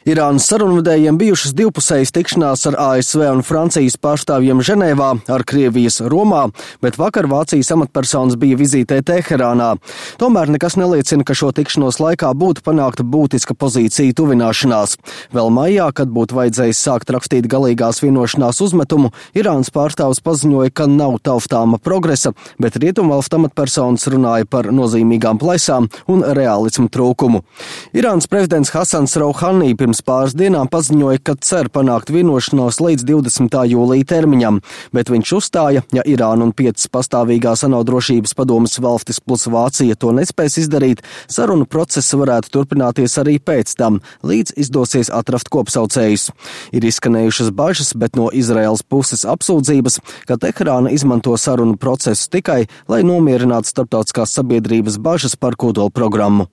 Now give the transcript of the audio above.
Irānas sarunvedējiem bijušas divpusējas tikšanās ar ASV un Francijas pārstāvjiem Ženēvā, ar Krievijas Romā, bet vakar Vācijas amatpersonas bija vizītē Teherānā. Tomēr nekas neliecina, ka šo tikšanos laikā būtu panākta būtiska pozīcija tuvināšanās. Vēl maijā, kad būtu vajadzējis sākt rakstīt galīgās vienošanās uzmetumu, Irānas pārstāvs paziņoja, ka nav taustāma progresa, bet rietumvalstu amatpersonas runāja par nozīmīgām plaisām un realismu trūkumu. Irānas prezidents Hasans Rouhani pirms pāris dienām paziņoja, ka cer panākt vienošanos līdz 20. jūlija termiņam, bet viņš uzstāja, ja Irāna un 5 pastāvīgās ANO drošības padomes valstis plus Vācija to nespēs izdarīt, sarunu process varētu turpināties arī pēc tam, līdz izdosies atrast kopsaucējus. Ir izskanējušas bažas, bet no Izraēlas puses apsūdzības, ka Teherāna izmanto sarunu procesu tikai, lai nomierinātu starptautiskās sabiedrības bažas par kodolprogrammu.